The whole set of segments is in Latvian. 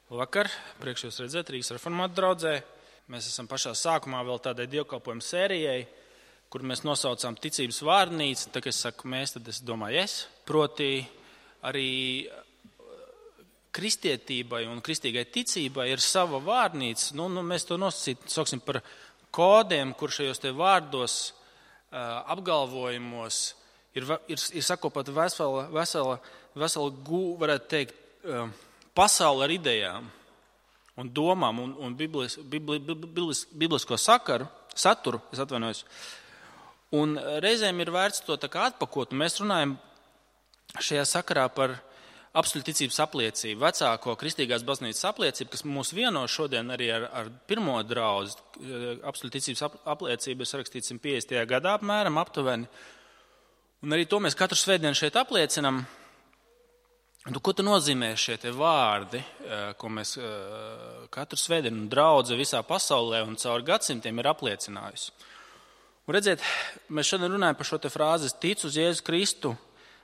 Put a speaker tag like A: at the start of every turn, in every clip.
A: Labvakar, prieks jūs redzēt Rīgas reformātu draudzē. Mēs esam pašā sākumā vēl tādai dievkalpojumu sērijai, kur mēs nosaucām ticības vārnīcu. Tā, kad es saku mēs, tad es domāju es. Proti arī kristietībai un kristīgai ticībai ir sava vārnīca. Mēs to nosaucam par kodiem, kur šajos te vārdos, apgalvojumos ir sakopata vesela, varētu teikt, pasaule ar idejām un domām un biblisko saturu, es atvainojos. Un reizēm ir vērts to tā kā atpakot, un mēs runājam šajā sakarā par apstuļu ticības apliecību, vecāko kristīgās baznīcas apliecību, kas mūs vieno šodien arī ar pirmo draudzi. Apstuļu ticības apliecība ir sarakstīta 150. gadā apmēram, aptuveni. Un arī to mēs katru svētdienu šeit apliecinam. Ko tad nozīmē šie te vārdi, ko mēs katru svētdienu draudze visā pasaulē un caur gadsimtiem ir apliecinājusi? Un redziet, mēs šodien runājam par šo te frāzi, es ticu uz Jēzu Kristu,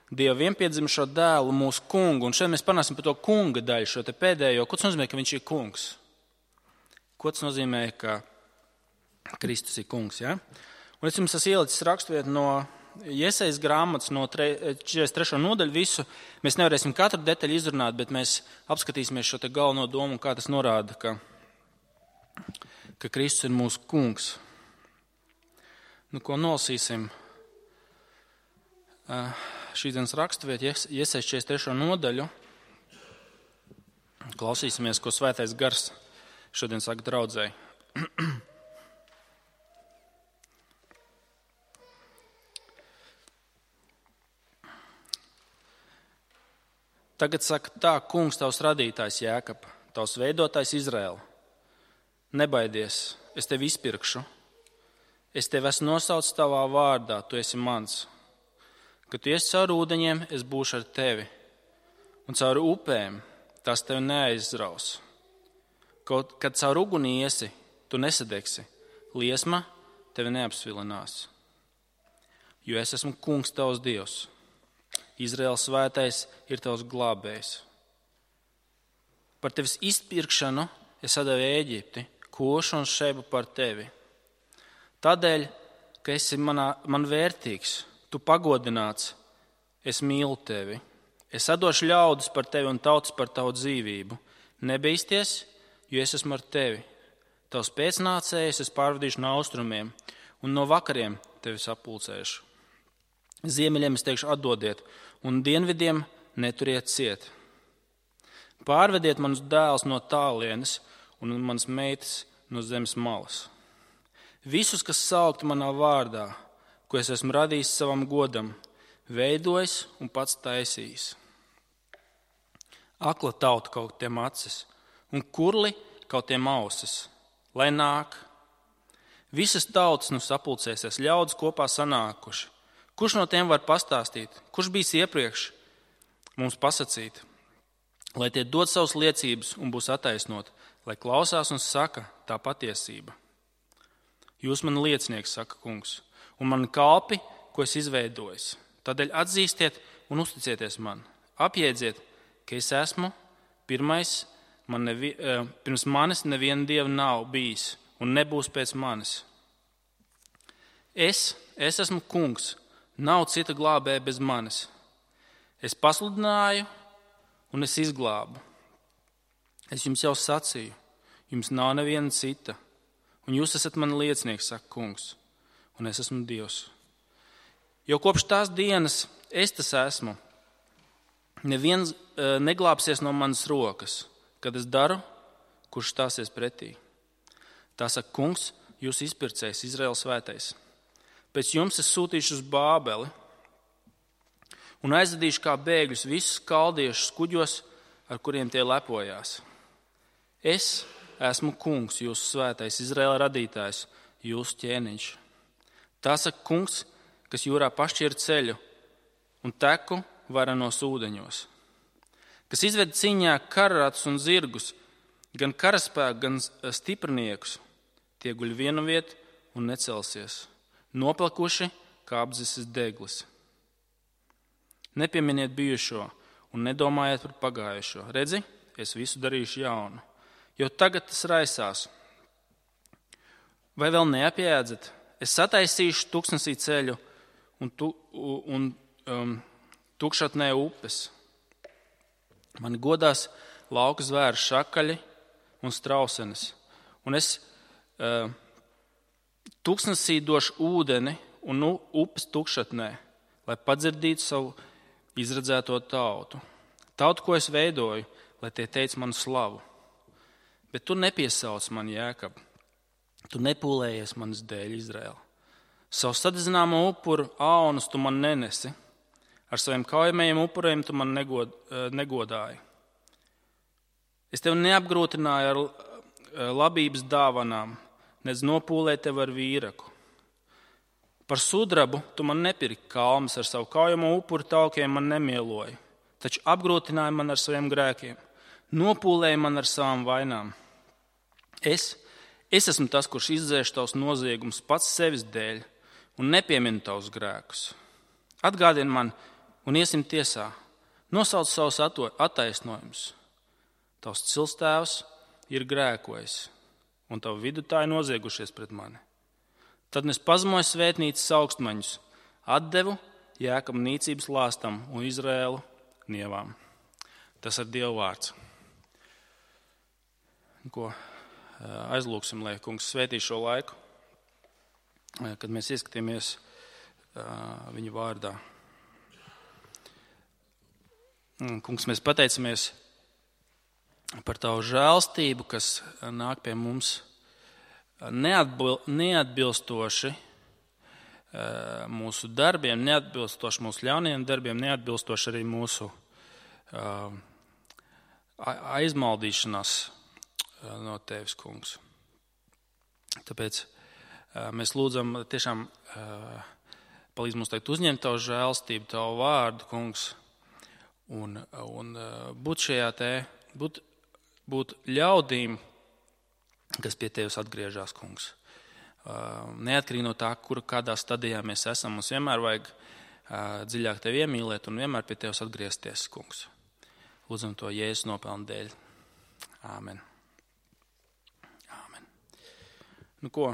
A: Dieva vienpiedzimušo dēlu, mūsu kungu. Un šeit mēs panāsim par to kunga daļu, šo te pēdējo. Ko tas nozīmē, ka viņš ir kungs? Ko tas nozīmē, ka Kristus ir kungs? Ja? Un es jums esmu ielicis raksturvietu no Jesajas grāmatas no 43. nodaļu visu. Mēs nevarēsim katru detaļu izrunāt, bet mēs apskatīsimies šo te galveno domu, kā tas norāda, ka Kristus ir mūsu kungs. Ko nolasīsim? Šīdienas raksturvieta, Jesajas 43. nodaļu. Klausīsimies, ko Svētais Gars šodien saka draudzēji. Tagad saka tā, kungs, tavs radītājs Jēkab, tavs veidotājs Izraēla. Nebaidies, es tevi izpirkšu. Es tevi esmu nosaucis tavā vārdā, tu esi mans. Kad tu iesi cauri ūdeņiem, es būšu ar tevi. Un cauri upēm tās tevi neaizraus. Kad cauri uguni iesi, tu nesadegsi. Liesma tevi neapsvilinās. Jo es esmu kungs tavs Dievs. Izraēlas svētais ir tavs glābējs. Par tevis izpirkšanu es atdevu Ēģipti, Košu un Šebu par tevi. Tādēļ, ka esi man vērtīgs, tu pagodināts, es mīlu tevi. Es atdošu ļaudis par tevi un tautas par tavu dzīvību. Nebīsties, jo es esmu ar tevi. Tavs pēcnācējs es pārvadīšu no austrumiem, un no vakariem tevi sapulcēšu. Ziemeļiem es teikšu atdodiet, un dienvidiem neturiet ciet. Pārvediet manus dēlus no tālienes un manas meitas no zemes malas. Visus, kas saukti manā vārdā, ko es esmu radījis savam godam, veidojis un pats taisījis. Akla tauta kaut tiem acis, un kurli kaut tiem ausis, lai nāk. Visas tautas sapulcēsies, ļaudis kopā sanākuši. Kurš no tiem var pastāstīt? Kurš bijis iepriekš mums pasacīt? Lai tie dod savas liecības un būs attaisnot, lai klausās un saka tā patiesība. Jūs man liecinieks, saka kungs, un man kalpi, ko es izveidojis. Tādēļ atzīstiet un uzticieties man. Apjēdziet, ka es esmu pirmais, pirms manis neviena dieva nav bijis un nebūs pēc manis. Es esmu kungs. Nav cita glābēja bez manis. Es pasludināju un es izglābu. Es jums jau sacīju, jums nav neviena cita. Un jūs esat mani liecinieks, saka kungs, un es esmu Dievs. Jo kopš tās dienas es tas esmu. Neviens neglābsies no manas rokas, kad es daru, kurš stāsies pretī. Tā saka kungs, jūs izpircējs, Izraēlas svētais. Pēc jums es sūtīšu uz Bābeli un aizvedīšu kā bēgļus visus kaldiešus kuģos, ar kuriem tie lepojās. Es esmu kungs, jūsu svētais, Izraēla radītājs, jūsu ķēniņš. Tā saka kungs, kas jūrā pašķir ceļu un teku varenos ūdeņos. Kas izved cīņā kararatus un zirgus, gan karaspēku, gan stiprniekus, tie guļ vienu vietu un necelsies. Noplakuši kā apzises deglis. Nepieminiet bijušo un nedomājiet par pagājušo. Redzi, es visu darīšu jaunu. Jo tagad tas raisās. Vai vēl neapjēdzat? Es sataisīšu tuksnesī ceļu un tukšatnē upes. Mani godās lauka zvēru šakaļi un strausenes. Un es tuksnesī došu ūdeni un upes tukšatnē, lai padzirdītu savu izredzēto tautu. Tautu, ko es veidoju, lai tie teic manu slavu. Bet tu nepiesauc mani, Jēkab. Tu nepūlējies manas dēļ, Izraēla. Savu sadedzināmo upuru aunus tu man nenesi. Ar saviem kaujamajiem upuriem tu man negodāji. Es tevi neapgrūtināju ar labības dāvanām, nec nopūlēju tevi ar vīraku. Par sudrabu tu man nepirki kalmas, ar savu kaujamo upuru taukiem man nemieloji, taču apgrūtināji man ar saviem grēkiem, nopūlēji man ar savām vainām. Es esmu tas, kurš izdzēš tavus noziegumus pats sevis dēļ un nepieminu tavus grēkus. Atgādini man un iesim tiesā, nosauc savus attaisnojumus. Tavs cilstēvs ir grēkojis, un tavu vidutāji noziegušies pret mani. Tad es pazemoju svētnīcas augstmaņus, atdevu Jēkabu nīcības lāstam un Izraēlu nievām. Tas ir Dieva vārds. Ko aizlūksim, lai kungs svētī šo laiku, kad mēs ieskatāmies viņa vārdā. Kungs, mēs pateicamies par tavu žēlstību, kas nāk pie mums neatbilstoši mūsu darbiem, neatbilstoši mūsu ļaunajiem darbiem, neatbilstoši arī mūsu aizmaldīšanās no tevis, kungs. Tāpēc mēs lūdzam tiešām palīdz mums tagad uzņemt tavu žēlstību, tavu vārdu, kungs, un būt šajā būt ļaudīm, kas pie tevis atgriežas, kungs. Neatkarīgi no tā, kādā stadijā mēs esam, mums vienmēr vajag dziļāk tevi iemīlēt un vienmēr pie tevis atgriezties, kungs. Lūdzam to Jēzus nopelnu dēļ. Āmen. Āmen. Nu ko?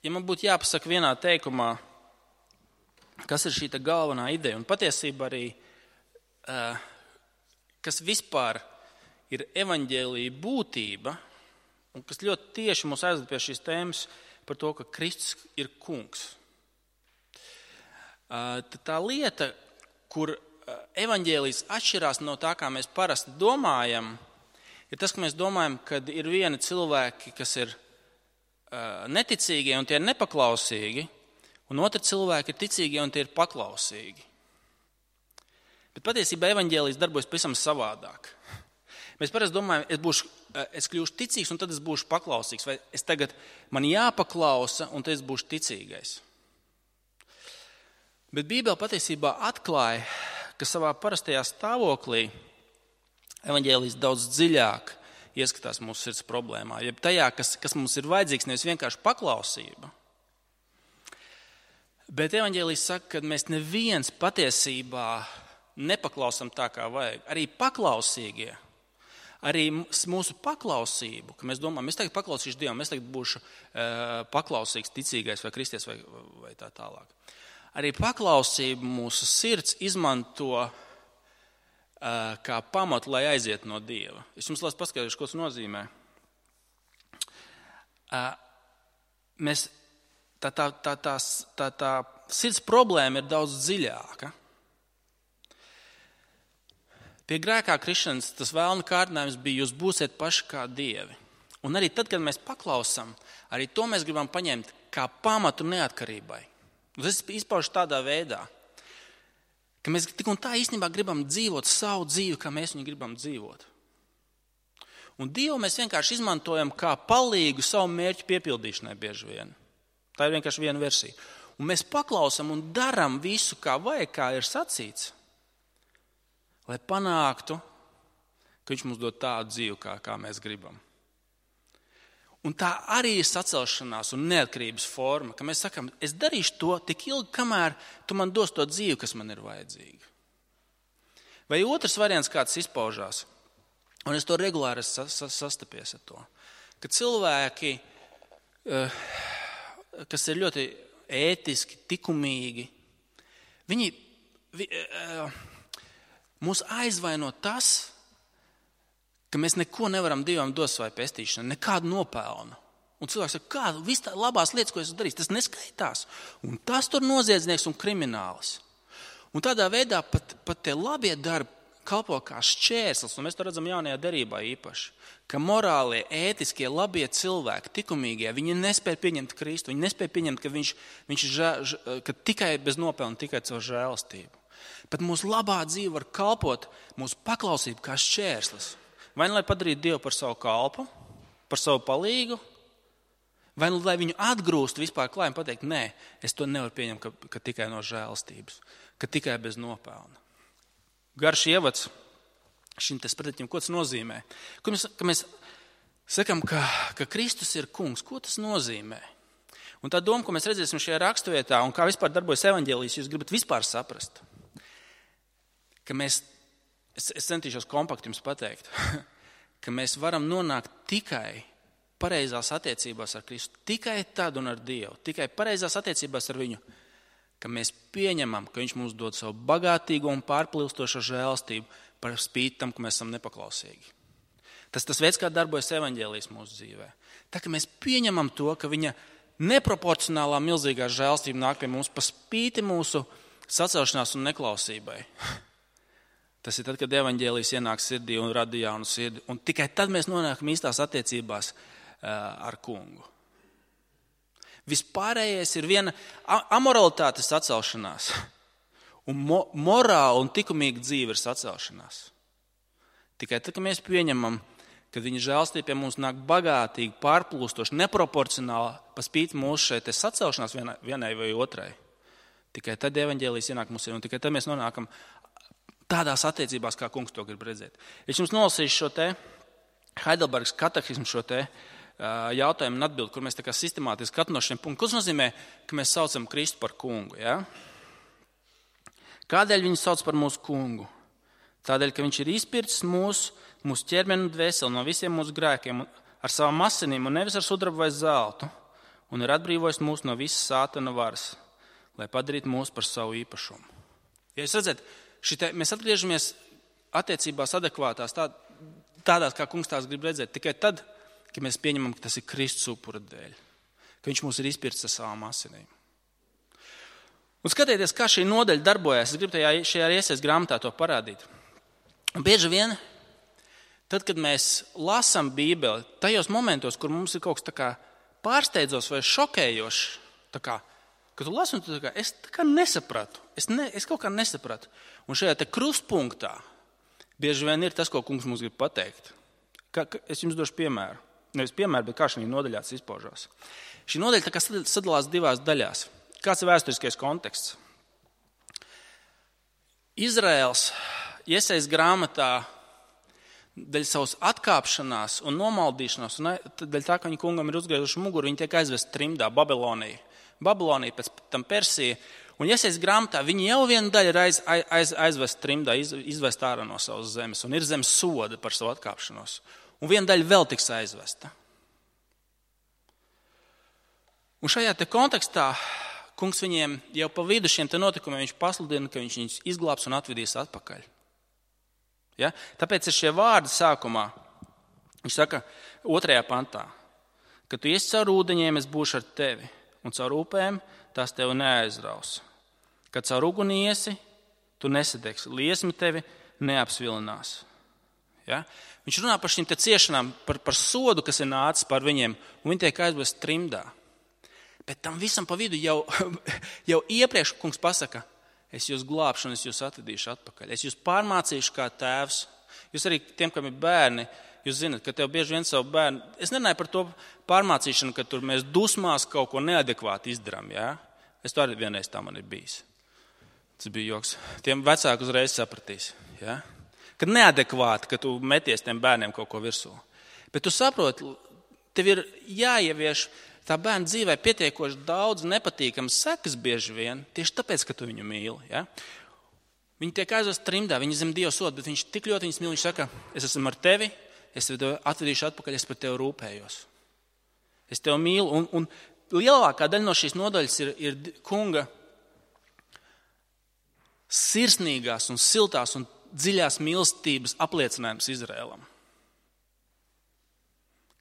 A: Ja man būtu jāpasaka vienā teikumā, kas ir šī galvenā ideja, un patiesībā arī, kas vispār ir evaņģēlija būtība, un kas ļoti tieši mūs aizved pie šīs tēmas par to, ka Kristus ir kungs. Tā lieta, kur evaņģēlijs atšķirās no tā, kā mēs parasti domājam, ir tas, ka mēs domājam, ka ir vieni cilvēki, kas ir neticīgie un tie ir nepaklausīgi, un otri cilvēki ir ticīgie un tie ir paklausīgi. Bet patiesībā evaņģēlijs darbojas pavisam savādāk. Mēs parasti domājam, es kļūšu ticīgs un tad es būšu paklausīgs, vai man jāpaklausa un tad es būšu ticīgais. Bet Bībele patiesībā atklāja, ka savā parastajā stāvoklī evaņģēlijs daudz dziļāk ieskatās mūsu sirds problēmā, jeb tajā, kas mums ir vajadzīgs, nevis vienkārši paklausība. Bet evaņģēlijs saka, ka mēs neviens patiesībā nepaklausam tā, kā vajag. Arī paklausīgie, arī mūsu paklausību, ka mēs domājam, es tagad paklausīšu Dievam, es tagad būšu paklausīgs, ticīgais vai kristies vai tā tālāk. Arī paklausību mūsu sirds izmanto kā pamatu, lai aiziet no Dieva. Es jums lasu paskaidrošu, ko tas nozīmē. Tā sirds problēma ir daudz dziļāka. Pie grēkā krišanas tas vēlna kārdinājums bija, jūs būsiet paši kā dievi. Un arī tad, kad mēs paklausam, arī to mēs gribam paņemt kā pamatu neatkarībai. Tas izpaužas tādā veidā, ka mēs tik un tā īstenībā gribam dzīvot savu dzīvi, kā mēs viņu gribam dzīvot. Un Dievu mēs vienkārši izmantojam kā palīgu savu mērķu piepildīšanai bieži vien. Tā ir vienkārši viena versija. Un mēs paklausam un daram visu, kā vajag, kā ir sacīts, lai panāktu, ka viņš mums dod tādu dzīvi, kā mēs gribam. Un tā arī ir sacelšanās un neatkarības forma, ka mēs sakam, es darīšu to tik ilgi, kamēr tu man dos to dzīvi, kas man ir vajadzīga. Vai otrs variants, kāds izpaužās, un es to regulāri sastapies ar to, ka cilvēki, kas ir ļoti ētiski, likumīgi, viņi mūs aizvaino tas, ka mēs neko nevaram Dievam dot savai pestīšanai, nekādu nopelnu. Un cilvēks saka, kādu viss tā labās lietas, ko es darīju, tas neskaitās. Un tas tur noziedznieks un krimināls. Un tādā veidā pat tie labie darbi kalpo kā šķērslis, un mēs to redzam jaunajā derībā īpaši, ka morālie, ētiskie, labie cilvēki, likumīgie, viņi nespēja pieņemt Kristu, viņi nespēja pieņemt, ka viņš ka tikai bez nopelna, tikai caur žēlastību. Bet mūsu labā dzīve var kalpot mūsu paklausību kā šķērslis. Vai nu lai padarītu Dievu par savu kalpu, par savu palīgu, vai nu lai viņu atgrūst vispār klāt un pateikt, nē, es to nevaru pieņemt, ka tikai no žēlastības, ka tikai bez nopelna. Garš ievads šim te sprediķim, ko tas nozīmē? Ka mēs sakam, ka Kristus ir kungs, ko tas nozīmē? Un tā doma, ko mēs redzēsim šajā raksturvietā, un kā vispār darbojas evaņģēlijs, jūs gribat vispār saprast, ka es centīšos kompakti jums pateikt, ka mēs varam nonākt tikai pareizās attiecībās ar Kristu, tikai tad un ar Dievu, tikai pareizās attiecībās ar viņu, ka mēs pieņemam, ka viņš mums dod savu bagātīgo un pārplilstošo žēlastību par spīti tam, ka mēs esam nepaklausīgi. Tas veids, kā darbojas evaņģēlijs mūsu dzīvē. Tā, ka mēs pieņemam to, ka viņa neproporcionālā milzīgā žēlastība nāk pie mums par spīti mūsu sacelšanās un neklausībai. Tas ir tad, kad evaņģēlijs ienāk sirdī un rada jaunu sirdi. Un tikai tad mēs nonākam īstās attiecībās ar kungu. Vispārējais ir viena amoralitātes sacelšanās. Un morāla un likumīga dzīve ir sacelšanās. Tikai tad, kad mēs pieņemam, ka viņa žēlastība pie mums nāk bagātīgi, pārplūstoši, neproporcionāli, pa spīti mūsu šeit sacelšanās vienai vai otrai. Tikai tad evaņģēlijs ienāk mums ir, un tikai tad mēs nonākam tādās attiecībās, kā kungs to grib redzēt. Es jums nolasīšu šo te Heidelbergas katehismu, šo te jautājumu un atbildi, kur mēs tā kā sistemātiski katru no šiem punktiem. Ko tas nozīmē, ka mēs saucam Kristu par kungu? Ja? Kādēļ viņu sauc par mūsu kungu? Tādēļ, ka viņš ir izpircis mūsu ķermeni un dvēseli no visiem mūsu grēkiem ar savām asinīm un nevis ar sudrabu vai zeltu, un ir atbrīvojis mūs no visas sātana varas, lai padarītu mūs par savu īpašumu. Ja jūs redzat, mēs atgriežamies attiecībās adekvātās, tādās, kā kungs tās grib redzēt, tikai tad, ka mēs pieņemam, ka tas ir Kristus upura dēļ, ka viņš mūs ir izpircis ar savām asinīm. Un skatieties, kā šī nodaļa darbojas. Es gribu šajā Iesaijas grāmatā to parādīt. Un bieži vien, tad, kad mēs lasām Bībeli, tajos momentos, kur mums ir kaut kas tā kā pārsteidzošs vai šokējošs, tā kā, kad tu lasi un tu tā kā, es tā kā nesapratu, es kaut kā nesapratu. Un šajā te krustpunktā bieži vien ir tas, ko kungs mums grib pateikt. Es jums došu piemēru. Nevis piemēru, bet kā šī nodaļā tas izpaužās. Šī nodaļa tā kā sadalās divās daļās. Kāds ir vēsturiskais konteksts? Izraels Iesaijas grāmatā dēļ savas atkāpšanās un nomaldīšanās, un dēļ tā, ka viņi kungam ir uzgriezuši muguru, viņi tiek aizvest trimdā, Babilonija, pēc tam Persija. Un Iesaijas grāmatā viņi jau vienu daļu ir aizvest trimdā, izvest ārā no savas zemes, un ir zem soda par savu atkāpšanos. Un viena daļa vēl tiks aizvesta. Un šajā te kontekstā kungs viņiem jau pa vidu šiem te notikumiem viņš pasludina, ka viņš viņus izglābs un atvedīs atpakaļ. Ja? Tāpēc ir šie vārdi sākumā. Viņš saka 2. pantā, ka tu iesi caur ūdeņiem, es būšu ar tevi, un caur upēm tās tevi neaizraus. Kad caur uguni iesi, tu nesadegsi, liesmi tevi neapsvilinās. Ja? Viņš runā par šīm te ciešanām, par sodu, kas ir nācis par viņiem, un viņi tiek aizvest trimdā. Bet tam visam pa vidu jau iepriekš kungs pasaka, es jūs glābšu un es jūs atvedīšu atpakaļ. Es jūs pārmācīšu kā tēvs. Jūs arī tiem, kam ir bērni, jūs zinat, ka tev bieži vien savu bērnu, es nerunāju par to pārmācīšanu, ka tur mēs dusmās kaut ko neadekvāti izdarām. Ja? Es to arī vienreiz tā man ir bijis. Tas bija joks. Tiem vecāki uzreiz sapratīs. Ja? Kad neadekvāti, ka tu meties tiem bērniem kaut ko virsū. Bet tu saproti, tev ir jāievieš tā bērna dzīvē pietiekoši daudz nepatīkams sekas bieži vien, tieši tāpēc, ka tu viņu mīli. Ja? Viņi tiek aizvest trimdā, viņi zem Dieva soda, bet viņš tik ļoti viņus mīl, viņš saka, es esmu ar tevi, es tevi atvedīšu atpakaļ, es par tevi rūpējos. Es tevi mīlu, un lielākā daļa no šīs nodaļas ir kunga sirsnīgās un siltās un dziļās mīlestības apliecinājums Izraēlam.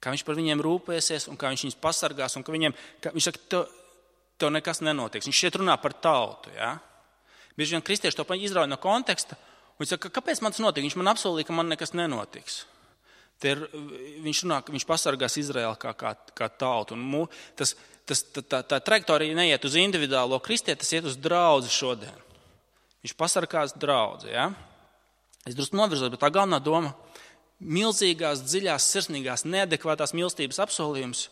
A: Kā viņš par viņiem rūpēsies un kā viņš viņus pasargās un ka viņš saka, tev nekas nenotiks. Viņš šeit runā par tautu, ja? Bieži vien kristieši to izrauj no konteksta un viņš saka, kāpēc man tas notiek? Viņš man apsolīja, ka man nekas nenotiks. Viņš runā, ka viņš pasargās Izraēlu kā tautu. Un tā trajektorija neiet uz individuālo kristieti, tas iet uz draudzi šodien. Viņš pasargās draudzi, ja? Es drusku novirzos, bet tā galvenā doma milzīgās, dziļās, sirsnīgās, neadekvātās mīlestības apsolījums.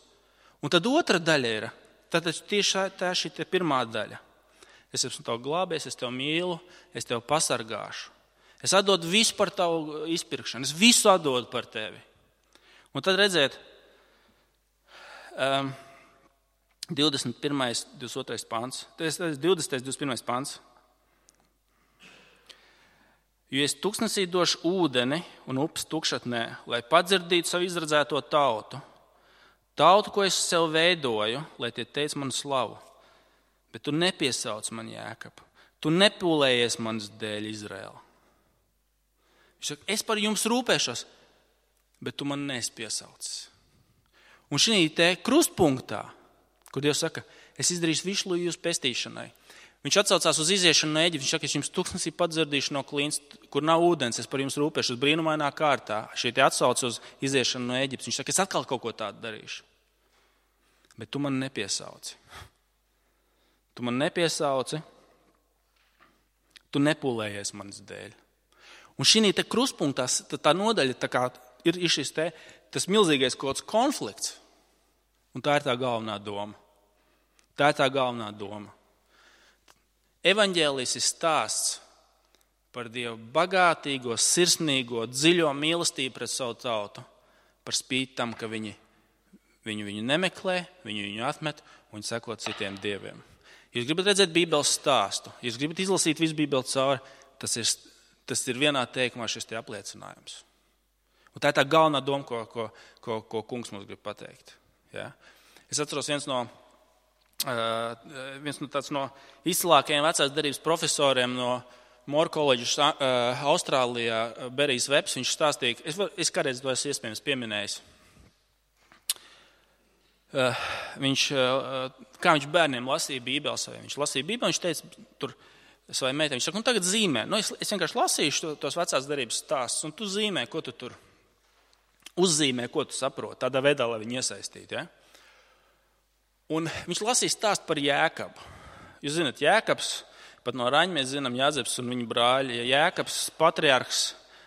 A: Un tad otra daļa ir, tad tieši tā šī pirmā daļa. Es esmu tev glābējis, es tev mīlu, es tev pasargāšu. Es atdodu visu par tavu izpirkšanu, es visu atdodu par tevi. Un tad redziet, 21. 22. pants, 20. 21. pants. Jo es tuksnesī došu ūdeni un upes tukšatnē, lai padzirdītu savu izradzēto tautu. Tautu, ko es sev veidoju, lai tie teic manu slavu. Bet tu nepiesauc man Jēkabu. Tu nepūlējies manas dēļ Izraēla. Viņš saka, es par jums rūpēšos, bet tu man neesi piesaucis. Un šī te krustpunktā, kur Dievs saka, es izdarīšu visu jūsu pestīšanai. Viņš atsaucās uz iziešanu no Eģiptes. Viņš saka, es jums tuksnesī padzirdīšu no klīns, kur nav ūdens, es par jums rūpēšos brīnumainā kārtā. Šī te atsauc uz iziešanu no Eģiptes. Viņš saka, es atkal kaut ko tādu darīšu. Bet tu man nepiesauci. Tu man nepiesauci. Tu nepūlējies manas dēļ. Un šī te krustpunktā tā nodaļa tā kā ir šis te, tas milzīgais kaut kāds konflikts. Un tā ir tā galvenā doma. Tā ir tā galvenā doma. Evaņģēlijs ir stāsts par Dievu bagātīgo, sirsnīgo, dziļo mīlestību pret savu tautu, par spīti tam, ka viņi viņu nemeklē, viņu atmet un viņi seko citiem dieviem. Jūs gribat redzēt Bībeles stāstu, jūs gribat izlasīt visu Bībeli cauri, tas ir vienā teikumā šis te apliecinājums. Un tā ir tā galvenā doma, ko kungs mums grib pateikt. Ja? Es atceros viens no izcilākajiem vecās derības profesoriem no Moore Colleges Austrālijā, Berijs Vebs, viņš stāstīja, es kādreiz to esmu iespējams pieminējis. Kā viņš bērniem lasīja Bībeli, viņš lasīja Bībeli, viņš teica tur savai meitai, viņš saka, tagad zīmē, es vienkārši lasīšu tos vecās derības stāstus, un tu zīmē, ko tu tur uzzīmē, ko tu saproti, tādā veidā, lai viņi iesaistītu, ja? Un viņš lasīja stāstu par Jēkabu. Jūs zināt, Jēkabs, pat no Raņa mēs zinām Jāzeps un viņa brāļi, Jēkabs patriarhs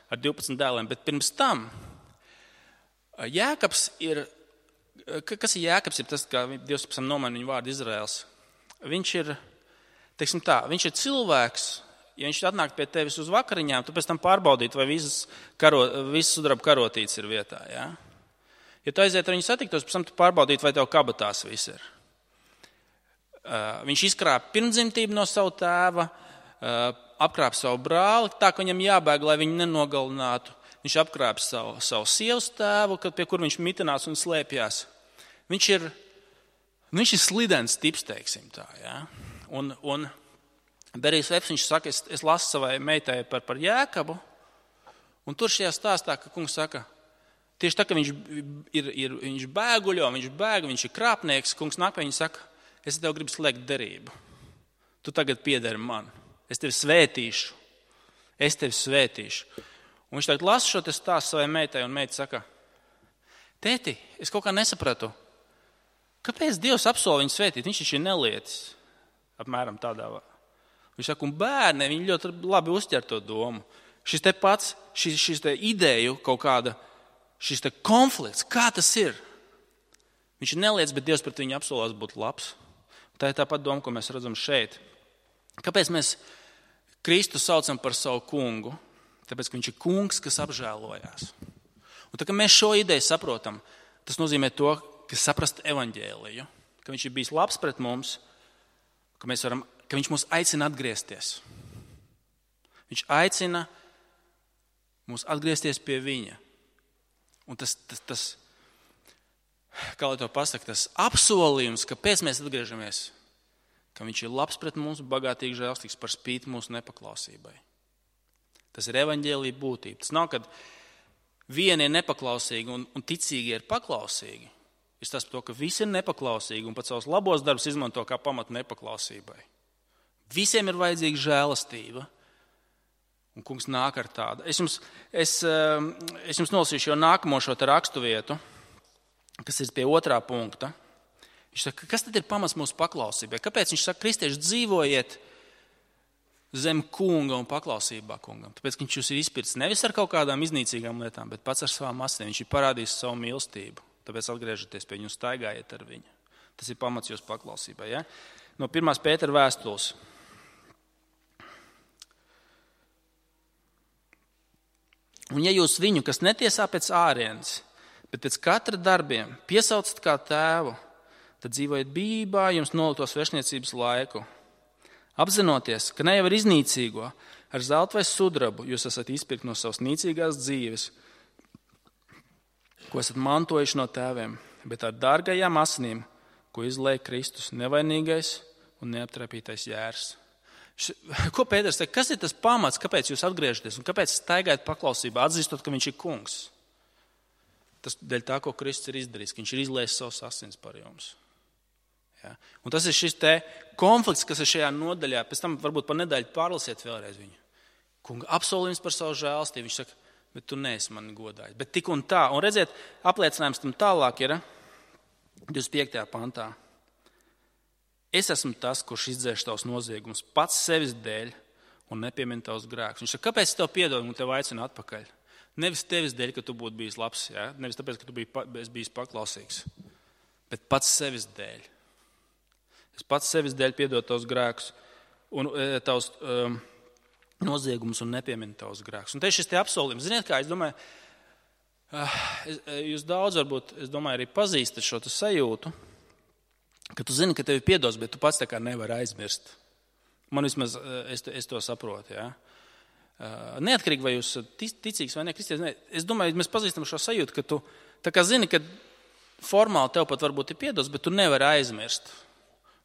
A: ar 12 dēliem, bet pirms tam Jēkabs ir, kas ir Jēkabs, ir tas, kā Dievs pēc tam nomaina viņu vārdu Izraels. Viņš ir, teiksim tā, viņš ir cilvēks, ja viņš atnāk pie tevis uz vakariņām, tu pēc tam pārbaudīt, vai visas sudraba karotītes ir vietā, ja? Ja tu aiziet ar viņu satiktos, pēc tam tu pārbaudīt, vai tev kabatās viss ir. Viņš izkrāpa pirmdzimtību no savu tēva, apkrāpa savu brāli, tā, ka viņam jābēg, lai viņu nenogalinātu. Viņš apkrāpa savu sievas tēvu, pie kur viņš mitinās un slēpjās. Viņš ir slidens tips, teiksim tā. Ja? Un Berijs Vebs, viņš saka, es lasu savai meitai par Jēkabu, un tur šajā stāstā, ka kungs saka, tieši tā, ka viņš bēguļo, viņš ir krāpnieks, kungs nāk pie viņa saka, es tev gribu slēgt derību. Tu tagad piederi man. Es tevi svētīšu. Un viņš tagad lasa šo stāstu savai meitai, un meita saka, tēti, es kaut kā nesapratu, kāpēc Dievs apsola viņu svētīt? Viņš taču ir nelietis. Apmēram tādā. Viņš saka, un bērni, viņi ļoti labi uztver to domu. Šis te pats, šis te ideju kaut kāda, šis te konflikts, kā tas ir? Viņš ir nelietis, bet Dievs pret viņu apsolās būt labs. Tā ir tāpat doma, ko mēs redzam šeit. Kāpēc mēs Kristu saucam par savu kungu? Tāpēc, ka viņš ir kungs, kas apžēlojās. Un tā, ka mēs šo ideju saprotam, tas nozīmē to, ka saprast evaņģēliju, ka viņš ir bijis labs pret mums, ka viņš mūs aicina atgriezties. Viņš aicina mūs atgriezties pie viņa. Un tas kā lai to pasaka, tas apsolījums, kāpēc mēs atgriežamies, ka viņš ir labs pret mums, bagātīgi žēlstīgs par spīti mūsu nepaklausībai. Tas ir evaņģēlija būtība. Tas nav, kad vieni ir nepaklausīgi un ticīgi ir paklausīgi. Ir tas par to, ka visi ir nepaklausīgi un pat savus labos darbus izmanto kā pamatu nepaklausībai. Visiem ir vajadzīga žēlastība. Un kungs nāk ar tādu. Es jums nolasīšu jau nākamo šo rakstu vietu, kas ir pie 2. punkta. Viņš saka, kas tad ir pamats mūsu paklausībai? Kāpēc viņš saka, kristieši dzīvojiet zem kunga un paklausībā kungam? Tāpēc, ka viņš jūs ir izpircis nevis ar kaut kādām iznīcīgām lietām, bet pats ar savām asinīm. Viņš ir parādījis savu mīlestību. Tāpēc atgriežaties pie viņu, staigājiet ar viņu. Tas ir pamats jūsu paklausībai. Ja? No 1. Pētera vēstules. Un ja jūs viņu, kas netiesā pēc ārienes, bet pēc katra darbiem, piesaucat kā tēvu, tad dzīvojiet bijībā jums nolikto svešniecības laiku. Apzinoties, ka ne jau ar iznīcīgo, ar zeltu vai sudrabu jūs esat izpirkt no savas nīcīgās dzīves, ko esat mantojuši no tēviem, bet ar dārgajām asinīm, ko izlēja Kristus, nevainīgais un neaptrapītais jērs. Ko Pēters teica? Kas ir tas pamats, kāpēc jūs atgriežaties un kāpēc staigājat paklausībā, atzīstot, ka viņš ir kungs? Tas dēļ tā, ko Kristus ir izdarījis, ka viņš ir izliejis savus asins par jums. Ja? Un tas ir šis te konflikts, kas ir šajā nodaļā. Pēc tam varbūt par nedēļu pārlasiet vēlreiz viņu. Kunga apsolījums par savu žēlstību. Viņš saka, bet tu neesi mani godājis. Bet tik un tā. Un redziet, apliecinājums tam tālāk ir 25. pantā. Es esmu tas, kurš izdzēš tavus noziegumus pats sevis dēļ un nepiemina tavus grēkus. Viņš saka, kāpēc es tev piedodu un tev aicinu atpakaļ? Nevis tevis dēļ, ka tu būtu bijis labs, ja? Nevis tāpēc, ka tu biji bijis paklausīgs, bet pats sevis dēļ. Es pats sevis dēļ piedodu tavus grēkus un tavus noziegumus un nepiemina tavus grēkus. Un te ir šis te apsolījums. Ziniet kā, es domāju, jūs daudz varbūt, arī pazīstat šo sajūtu, ka tu zini, ka tevi piedos, bet tu pats tā kā nevari aizmirst. Man vismaz, es to saprotu, ja. Neatkarīgi, vai jūs ticīgs vai ne, kristietis, es domāju, mēs pazīstam šo sajūtu, ka tu tā kā zini, ka formāli tev pat varbūt ir piedos, bet tu nevari aizmirst.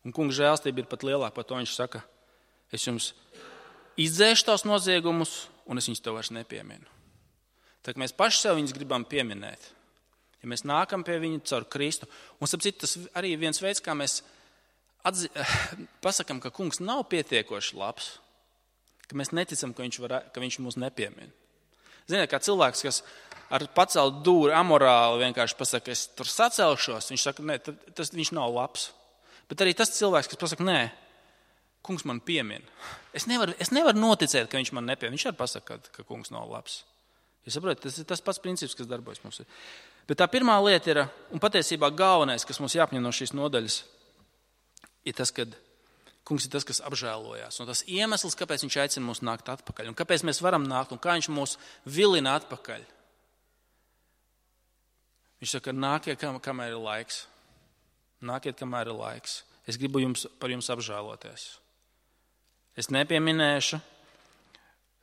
A: Un kunga žēlstība ir pat lielāka par to, viņš saka, es jums izdzēšu tavus noziegumus, un es viņus tev vairs nepieminu. Tā kā mēs paši sev viņus gribam pieminēt. Ja mēs nākam pie viņa caur Kristu, un sapcīt, tas arī ir viens veids, kā mēs pasakam, ka kungs nav pietiekoši labs, ka mēs neticam, ka viņš mūs nepiemina. Ziniet, kā cilvēks, kas ar pacelt dūri amorāli vienkārši pasaka, es tur sacelšos, viņš saka, nē, viņš nav labs. Bet arī tas cilvēks, kas pasaka, nē, kungs man piemina. Es nevaru noticēt, ka viņš man nepiemina. Viņš arī pasaka, ka kungs nav labs. Jūs saprotat, tas ir tas pats princips, kas darbojas mums. Bet tā pirmā lieta ir, un patiesībā galvenais, kas mums jāapņem no šīs nodaļas, ir tas, ka kungs ir tas, kas apžēlojās. Un tas iemesls, kāpēc viņš aicina mūs nākt atpakaļ, un kāpēc mēs varam nākt, un kā viņš mūs vilina atpakaļ. Viņš saka, nākiet, kamēr ir laiks. Nākiet, kamēr ir laiks. Es gribu par jums apžēloties. Es nepieminēšu,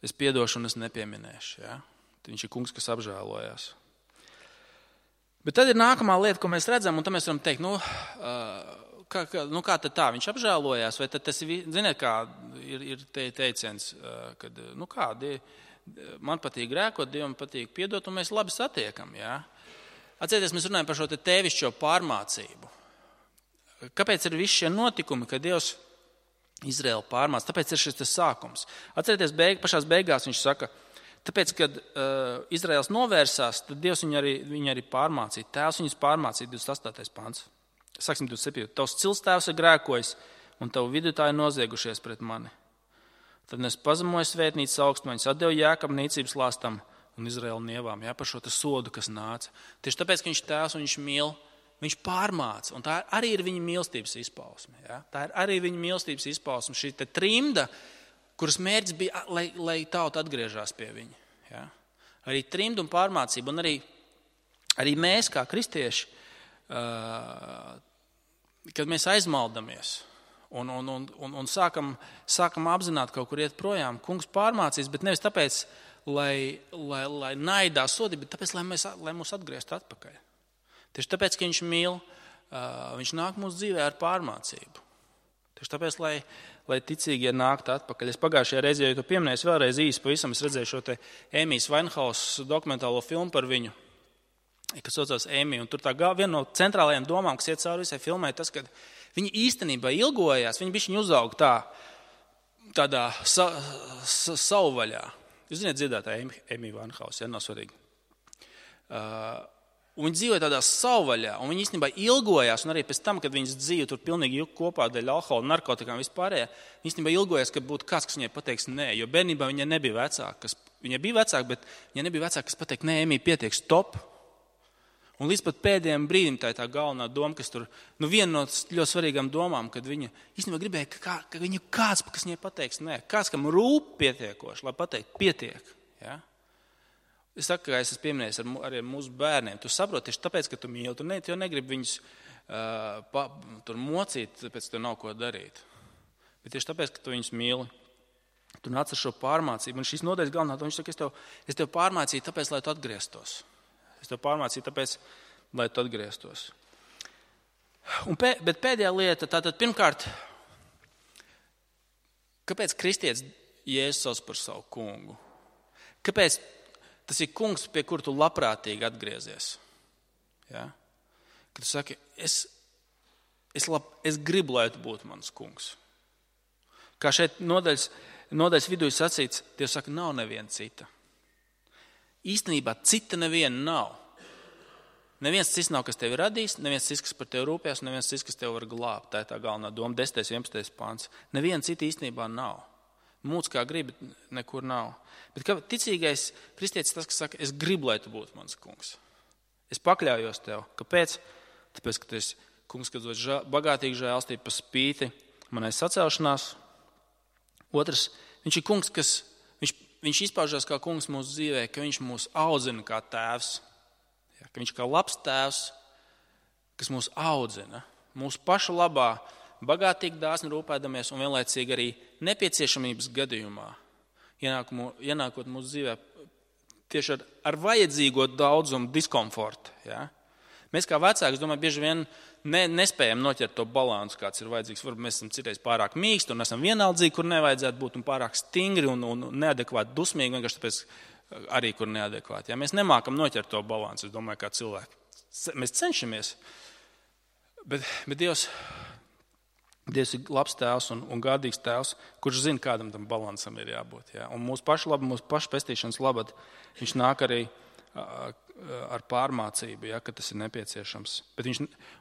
A: es piedošu un es nepieminēšu. Ja? Viņš ir kungs, kas apžēlojās. Bet tad ir nākamā lieta, ko mēs redzam, un tad mēs varam teikt, kā tad tā, viņš apžēlojās, vai tad tas ir, ziniet, kā ir teiciens, kad, man patīk grēkot, Dievam patīk piedot, un mēs labi satiekam, jā. Atcerieties, mēs runājam par šo tēvišķo pārmācību. Kāpēc ir visi šie notikumi, kad Dievs Izraēlu pārmāca? Tāpēc ir šis sākums. Atcerieties, pašās beigās viņš saka, tāpēc, kad Izraēls novērsās, tad Dievs viņu arī pārmācīja. Tēvs viņus pārmācīja, 28. pants. Sāksim 27. Tavs cilstēvs ir grēkojis, un tavu vidutāji noziegušies pret mani. Tad es pazemoju svētnīcas augstmaņas, atdevu Jākam nīcības lāstam un Izraēlu nievām, jā, par šo sodu, kas nāca. Tieši tāpēc, ka viņš tēvs un viņš mīl, viņš pārmāca. Un tā arī ir viņa mīlestības izpausme. Jā. Tā ir arī viņa mīlestības izpausme. Šī te trimda, kuras mērķis bija, lai tauta atgriežās pie viņa. Ja? Arī trimdu un pārmācību, un arī mēs kā kristieši, kad mēs aizmaldamies Un sākam apzināt kaut kur iet projām. Kungs pārmācīs, bet nevis tāpēc, lai naidā sodi, bet tāpēc, lai mūs atgrieztu atpakaļ. Tieši tāpēc, ka viņš mīl, viņš nāk mūsu dzīvē ar pārmācību. Tieši tāpēc, lai ticīgie nāktu atpakaļ. Es pagājušajā reizē, ja tu pieminēsi vēlreiz īsi pavisam, es redzēju šo te Ēmijas Vainhaus dokumentālo filmu par viņu, kas saucās Ēmija. Un tur tā viena no centrālajām domām, kas iet cauri visai filmai, tas, ka viņi īstenībā ilgojās, viņi bišķiņu uzauga tādā savvaļā. Jūs zināt dziedātāju Ēmiju Vainhaus, ja, nav svarīgi. Un viņi dzīvoja tādā savvaļā, un viņi īstenībā ilgojās, un arī pēc tam, kad viņas dzīve tur pilnīgi juk kopā dēļ alkohola, narkotikām vispārējā, viņi īstenībā ilgojās, kad būtu kāds, kas viņai pateiks nē, jo bērnībā viņa nebija vecāka. Viņa bija vecāka, bet viņa nebija vecāka, kas pateikt, nē, Ēmija, pietiek, stop. Un līdz pat pēdējiem brīdim tā ir tā galvenā doma, kas tur, viena no ļoti svarīgām domām, kad viņa īstenībā gribēja, ka viņa kāds, kas viņai pateiks nē, kāds, kam rūp pietiekoši, lai pateikt, pietiek. Ja? Es saku, ka es esmu pieminējis arī ar mūsu bērniem. Tu saproti, tieši tāpēc, ka tu mīli, tu negribi viņus tur mocīt, tāpēc tev nav ko darīt. Bet tieši tāpēc, ka tu viņus mīli, tu nāc ar šo pārmācību. Un šīs nodaļas galvenā, viņš saka, es tev pārmācīju tāpēc, lai tu atgrieztos. Es tev pārmācīju tāpēc, lai tu atgrieztos. Bet pēdējā lieta, tātad pirmkārt, kāpēc kristietis Jēzus sauc par savu kungu? Kāpēc tas ir kungs, pie kura tu labprātīgi atgriezies? Ja? Kad tu saki, es gribu, lai tu būtu mans kungs. Kā šeit nodaļas vidū ir sacīts, Dievs saka, nav neviena cita. Īstenībā cita neviena nav. Neviens cits nav, kas tevi radīs, neviens cits, kas par tevi rūpēs, neviens cits, kas tevi var glābt. Tā ir tā galvenā doma, 10. 11. pāns. Neviena cita īstenībā nav. Mūc kā gribi, nekur nav. Bet ticīgais kristietis tas, kas saka, es gribu, lai tu būtu mans kungs. Es pakļaujos tev. Kāpēc? Tāpēc, ka tu esi kungs, kas dod bagātīgi žēlstību pa spīti manai sacelšanās. Otrs, viņš ir kungs, Viņš izpaužās kā kungs mūsu dzīvē, ka viņš mūs audzina kā tēvs. Ja, ka viņš kā labs tēvs, kas mūs audzina. Mūsu pašu labā, bagātīgi dāsni rūpēdamies un vienlaicīgi arī nepieciešamības gadījumā. Ienākot mūsu dzīvē tieši ar vajadzīgo daudzumu diskomfortu. Ja. Mēs kā vecāki, es domāju, bieži vien nespējam noķert to balansu, kāds ir vajadzīgs. Varbūt mēs esam citreiz pārāk mīksti un esam vienaldzīgi, kur nevajadzētu būt, un pārāk stingri un neadekvāti dusmīgi, vienkārši tāpēc arī, kur neadekvāti. Ja? Mēs nemākam noķert to balansu, es domāju, kā cilvēki. Mēs cenšamies, bet Dievs ir labs tēvs un gādīgs tēvs, kurš zina, kādam tam balansam ir jābūt. Ja? Un mūsu pašu pestīšanas labad viņš nāk arī ar pārmācību, ja, ka tas ir nepieciešams.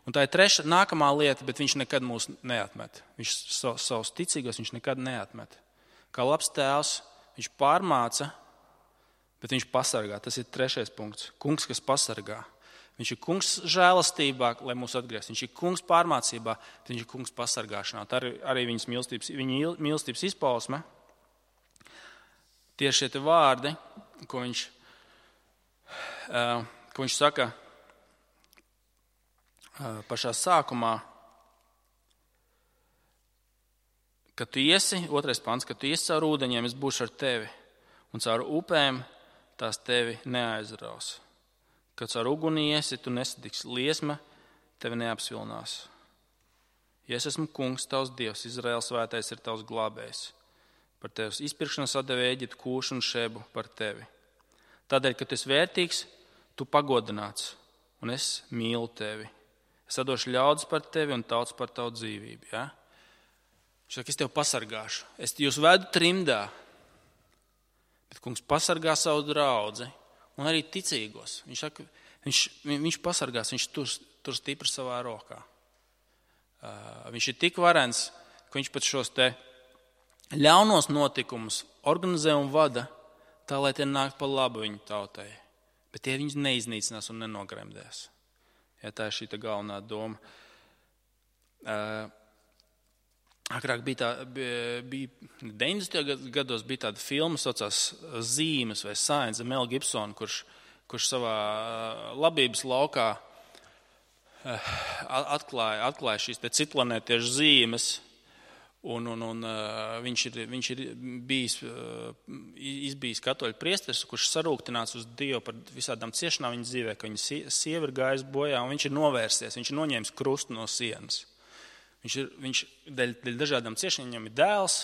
A: Un tā ir nākamā lieta, bet viņš nekad mūs neatmet. Viņš savus ticīgos viņš nekad neatmet. Kā labs tēvs, viņš pārmāca, bet viņš pasargā. Tas ir 3. punkts. Kungs, kas pasargā. Viņš ir kungs žēlastībā, lai mūs atgrieztu. Viņš ir kungs pārmācībā, bet viņš ir kungs pasargāšanā. Tā arī viņa mīlestības izpausme. Tieši šie vārdi, ko viņš saka pašā sākumā, ka tu iesi, 2. pants, ka tu iesi caur ūdeņiem, es būšu ar tevi, un caur upēm tās tevi neaizraus. Kad caur uguni iesi, tu nesadiksi, liesma tevi neapsvilnās. Ja es esmu kungs, tavs Dievs, Izraēls svētais ir tavs glābējs. Par tevis izpirkšanas atdeva Ēģiptu, Kūšu un Šebu par tevi. Tādēļ, ka tu esi vērtīgs, tu pagodināts, un es mīlu tevi. Es atdošu ļaudis par tevi un tauts par tavu dzīvību. Ja? Viņš saka, es tevi pasargāšu. Es jūs vedu trimdā, bet kungs pasargā savu draudzi un arī ticīgos. Viņš saka, viņš pasargās, viņš tur stipri savā rokā. Viņš ir tik varens, ka viņš pat šos te ļaunos notikumus organizē un vada tā, lai tie nāk pa labu viņu tautai. Bet tie viņus neiznīcinās un nenogremdēs. Ja, tā ir šī galvenā doma. Agrāk bija 90. gados bija tāda filma, saucās Zīmes vai Signs, Mel Gibson, kurš savā labības laukā atklāja šīs citplanētiešu zīmes, Un viņš ir izbijis katoļu priesteris, kurš sarūktināts uz Dievu par visādām ciešanām viņa dzīvē, ka viņa sieva ir gājusi bojā, un viņš ir novērsies, viņš ir noņēmis krustu no sienas. Viņš dēļ dažādām ciešanām, viņam ir dēls,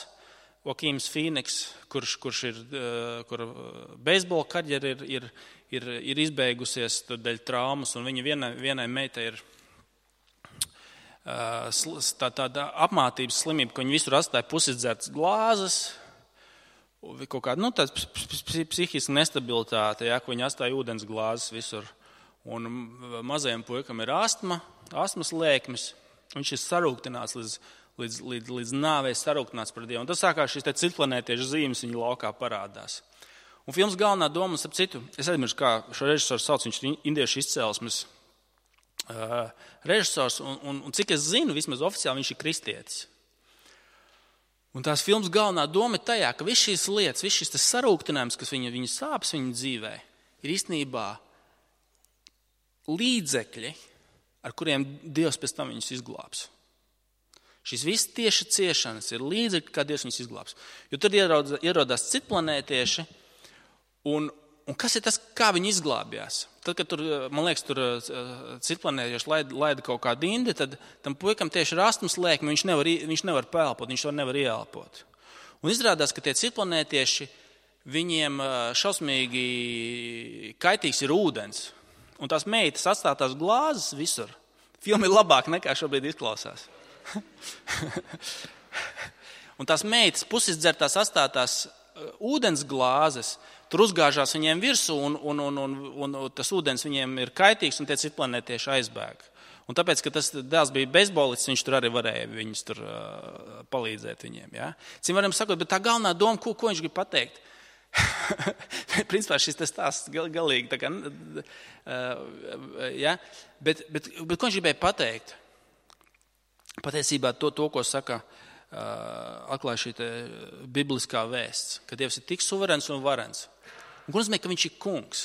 A: Joaquins Phoenix, kurš ir, kur beisbola karjera ir izbeigusies dēļ traumas, un viņa vienai meitai ir tāda apmātības slimība, ka viņi visur atstāja pusizdzertas glāzes, kaut kāda tāda psihiska nestabilitāte, ka viņi atstāja ūdens glāzes visur. Un mazajam puikam ir astmas lēkmes, viņš ir sarūktināts līdz nāvei, sarūktināts par Dievu. Un tas sākās šīs citplanētiešu zīmes viņa laukā parādās. Un filmas galvenā doma, ap citu, es aizmirsu, kā šo režisoru sauc, viņš ir indiešu izcelsmes režisors, un cik es zinu, vismaz oficiāli viņš ir kristietis. Un tās filmas galvenā doma ir tajā, ka viss šīs lietas, viss šis sarūktinājums, kas viņa sāpes viņa dzīvē, ir īstenībā līdzekļi, ar kuriem Dievs pēc tam viņus izglābs. Šīs visas tieši ciešanas ir līdzekļi, kā Dievs viņus izglābs. Jo tur ierodās citplanētieši, un kas ir tas, kā viņi izglābjās? Tad, kad tur, man liekas, tur citplanētieši laida kaut kādu indi, tad tam puikam tieši ir astmas lēkme, viņš nevar pelpot, viņš to nevar ieelpot. Un izrādās, ka tie citplanētieši, viņiem šausmīgi kaitīgs ir ūdens. Un tās meitas atstātās glāzes visur. Filma ir labāka nekā šobrīd izklausās. Un tās meitas pusizdzertās atstātās ūdens glāzes, tur uzgāžās viņiem virsū, un tas ūdens viņiem ir kaitīgs, un tie citplanētieši aizbēg. Un tāpēc, ka tas dēls bija beisbolists, viņš tur arī varēja viņus tur palīdzēt viņiem. Ja? Cim varam sakot, bet tā galvenā doma, ko viņš grib pateikt? Principā šis stāsts galīgi tā kā, ja? Bet ko viņš gribēja pateikt? Patiesībā to, ko saka atklāja šī bibliskā vēsts, ka Dievs ir tik suverēns un varens. Un ko nozīmē, ka viņš ir kungs?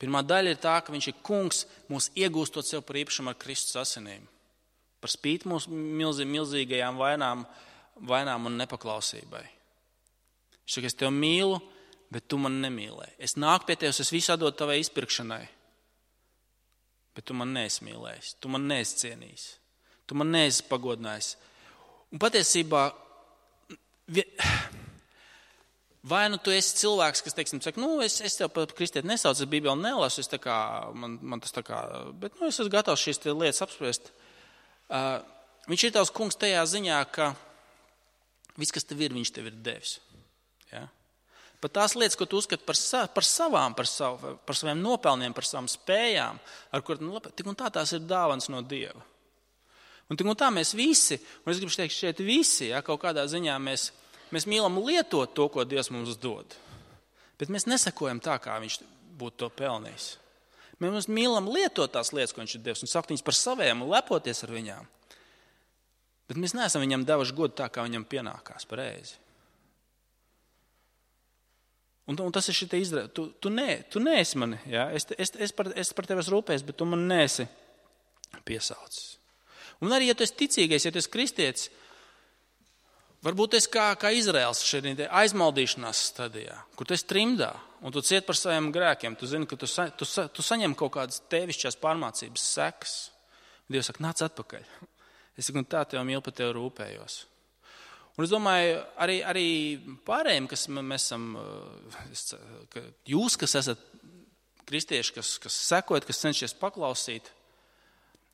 A: Pirmā daļa ir tā, ka viņš ir kungs, mūs iegūstot sev par īpašumu ar Kristus asinīm. Par spīti mūsu milzīgajām vainām un nepaklausībai. Viņš saka, es tevi mīlu, bet tu mani nemīlēji. Es nāku pie tevis, es visu atdodu tavai izpirkšanai. Bet tu man neesi mīlējis, tu man neesi cienījis, tu man neesi pagodinājis. Un patiesībā, vai nu tu esi cilvēks, kas, teiksim, saka, es tev par kristieti nesaucu, es Bībeli nelasu, es tā kā, man tas tā kā, bet es esmu gatavs šīs lietas apspriest. Viņš ir tavs kungs tajā ziņā, ka viss, kas tev ir, viņš tev ir devis. Ja? Pat tās lietas, ko tu uzskati par saviem nopelniem, par savām spējām, ar kur tik un tā tās ir dāvans no Dieva. Un tik un tā mēs visi, un es gribu teikt šeit visi, ja, kaut kādā ziņā mēs mīlam lietot to, ko Dievs mums dod. Bet mēs nesakojam tā, kā viņš būtu to pelnījis. Mēs mīlam lietot tās lietas, ko viņš ir devis, un saukt viņas par saviem un lepoties ar viņām. Bet mēs neesam viņam devuši godu tā, kā viņam pienākās pareizi. Un tas ir šī izrāde. Tu neesi mani, ja? Es par tevi esmu rūpējis, bet tu man neesi piesaucis. Un arī, ja tu esi ticīgais, ja tu esi kristietis, varbūt tu esi kā Izraels šeit aizmaldīšanās stadijā, kur tu esi trimdā, un tu ciet par saviem grēkiem. Tu zini, ka tu saņem kaut kādas tevišķās pārmācības sekas. Dievs saka, nāc atpakaļ. Es saku, tā tev mīlu, par tevi rūpējos. Un es domāju, arī pārējiem, kas mēs esam, jūs, kas esat kristieši, kas sekojat, kas cenšies paklausīt,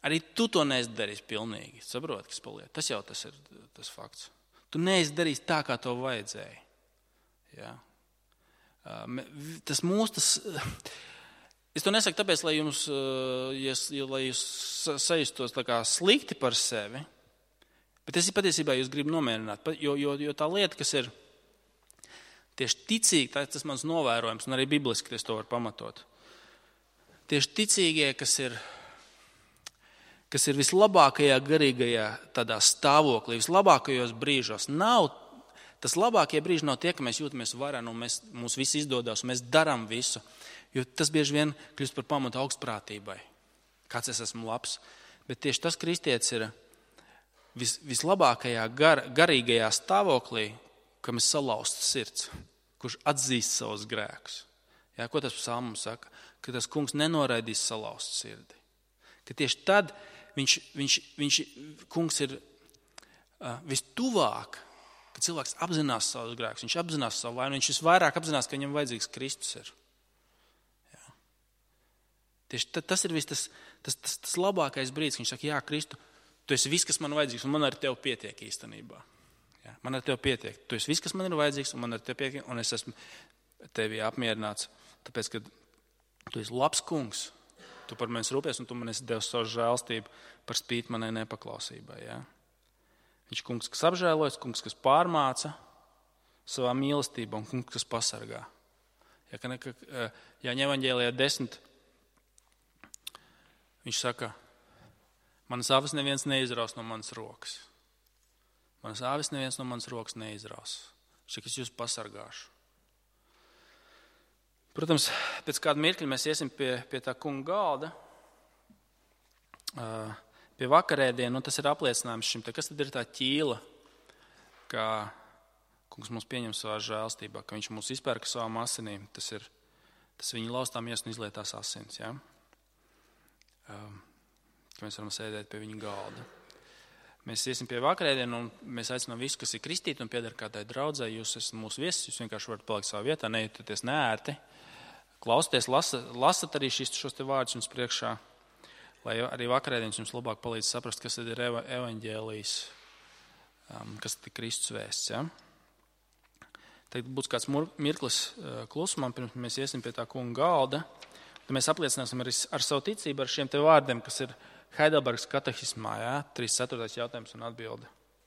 A: arī tu to neesi darījis pilnīgi. Saproti, kas paliek. Tas jau tas ir tas fakts. Tu neesi darījis tā, kā to vajadzēja. Ja? Es to nesaku tāpēc, lai jūs sajustos tā kā slikti par sevi, bet es patiesībā jūs gribu nomierināt, jo tā lieta, kas ir tieši ticīgi, tas mans novērojums, un arī bibliski es to varu pamatot. Tieši ticīgie, kas ir vislabākajā garīgajā tādā stāvoklī, vislabākajos brīžos, tas labākie brīži nav tie, ka mēs jūtamies vareni un mums viss izdodas, un mēs darām visu, jo tas bieži vien kļūst par pamatu augstprātībai. Kāds es esmu labs, bet tieši tas kristietis ir vislabākajā garīgajā stāvoklī, kam ir salauzts sirds, kurš atzīst savus grēkus. Jā, ko tas psalms saka? Ka tas kungs nenoraidīs salauztu sirdi. Ka tieši tad kungs ir vistuvāk, kad cilvēks apzinās savus grēkus, viņš apzinās savu vainu, viņš visvairāk apzinās, ka viņam vajadzīgs Kristus ir. Jā. Tieši tas ir tas labākais brīdis, kad viņš saka, jā, Kristu, tu esi viss, kas man vajadzīgs, un man ar tevi pietiek īstenībā. Jā, man ar tevi pietiek. Tu esi viss, kas man ir vajadzīgs, un man ar tevi pietiek, un es esmu tevi apmierināts, tāpēc, ka tu esi labs kungs, tu par mani rūpies, un tu man esi devis savu žēlstību par spīti manai nepaklausībai. Jā. Viņš kungs, kas apžēlojas, kungs, kas pārmāca savā mīlestībā, un kungs, kas pasargā. Jāņa evaņģēlijā 10, viņš saka, manas avis neviens neizraus no manas rokas. Manas avis neviens no manas rokas neizraus. Viņš saka, es jūs pasargāšu. Protams, pēc kāda mirkļa mēs iesim pie tā kunga galda, pie vakarēdienu, un tas ir apliecinājums šim. Kas tad ir tā ķīla, ka kungs mūs pieņem savā žēlstībā, ka viņš mūs izpērka savām asinīm. Tas viņa laustā miesa un izlietās asins, ja? Ka mēs varam sēdēt pie viņa galda. Mēs iesim pie vakarēdienu, un mēs aicinām visu, kas ir kristīti un pieder kādai draudzē. Jūs esat mūsu viesis, jūs vienkārši varat palikt savā vietā, nejūtaties neērti. Klausieties, lasat arī šos te vārdus jums priekšā, lai arī vakarēdienas jums labāk palīdz saprast, kas tad ir evaņģēlijs, kas tad ir Kristus vēsts. Ja? Tagad būs kāds mirklis klusumam, pirms mēs iesim pie tā kunga galda. Tad mēs apliecināsim arī ar savu ticību ar šiem te vārdiem, kas ir Heidelbergas katehismā, ja? 34. jautājums un atbilde.